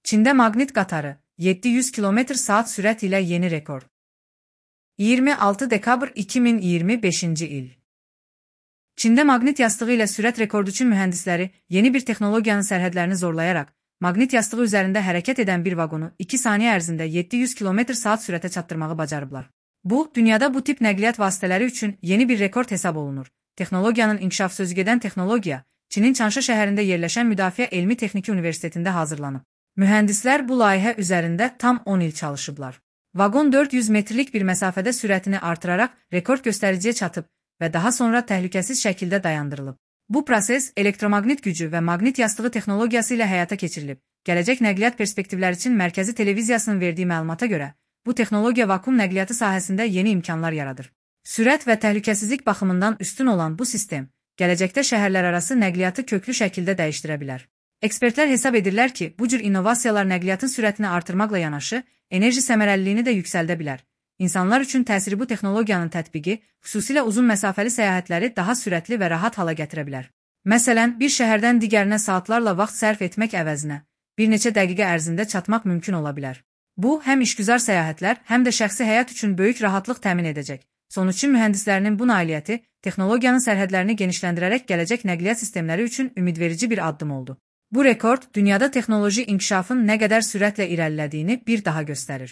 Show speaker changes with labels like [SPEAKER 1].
[SPEAKER 1] Çində maqnit qatarı 700 km/saat sürət ilə yeni rekord. 26 dekabr 2025-ci il. Çində maqnit yastığı ilə sürət rekordu üçün mühəndisləri yeni bir texnologiyanın sərhədlərini zorlayaraq, maqnit yastığı üzərində hərəkət edən bir vaqonu 2 saniyə ərzində 700 km/saat sürətə çatdırmağı bacarıblar. Bu, dünyada bu tip nəqliyyat vasitələri üçün yeni bir rekord hesab olunur. Texnologiyanın inkişaf sözügedən texnologiya, Çinin Çanşa şəhərində yerləşən Müdafiə Elmi Texniki Universitetində hazırlanıb. Mühəndislər bu layihə üzərində tam 10 il çalışıblar. Vaqon 400 metrlik bir məsafədə sürətini artıraraq rekord göstəriciyə çatıb və daha sonra təhlükəsiz şəkildə dayandırılıb. Bu proses elektromaqnit gücü və maqnit yastığı texnologiyası ilə həyata keçirilib. Gələcək nəqliyyat perspektivləri üçün Mərkəzi Televiziyasının verdiyi məlumata görə, bu texnologiya vakuum nəqliyyatı sahəsində yeni imkanlar yaradır. Sürət və təhlükəsizlik baxımından üstün olan bu sistem, gələcəkdə şəhərlərarası nəqliyyatı köklü şəkildə dəyişdirə bilər. Ekspertlər hesab edirlər ki, bu cür innovasiyalar nəqliyyatın sürətini artırmaqla yanaşı, enerji səmərəliliyini də yüksəldə bilər. İnsanlar üçün təsiri bu texnologiyanın tətbiqi, xüsusilə uzun məsafəli səyahətləri daha sürətli və rahat hala gətirə bilər. Məsələn, bir şəhərdən digərinə saatlarla vaxt sərf etmək əvəzinə, bir neçə dəqiqə ərzində çatmaq mümkün ola bilər. Bu, həm işgüzar səyahətlər, həm də şəxsi həyat üçün böyük rahatlıq təmin edəcək. Sonuçta mühəndislərinin bu nailiyyəti texnologiyanın sərhədlərini genişləndirərək gələcək nəqliyyat sistemləri üçün ümidverici bir addım oldu. Bu rekord dünyada texnoloji inkişafın nə qədər sürətlə irəlilədiyini bir daha göstərir.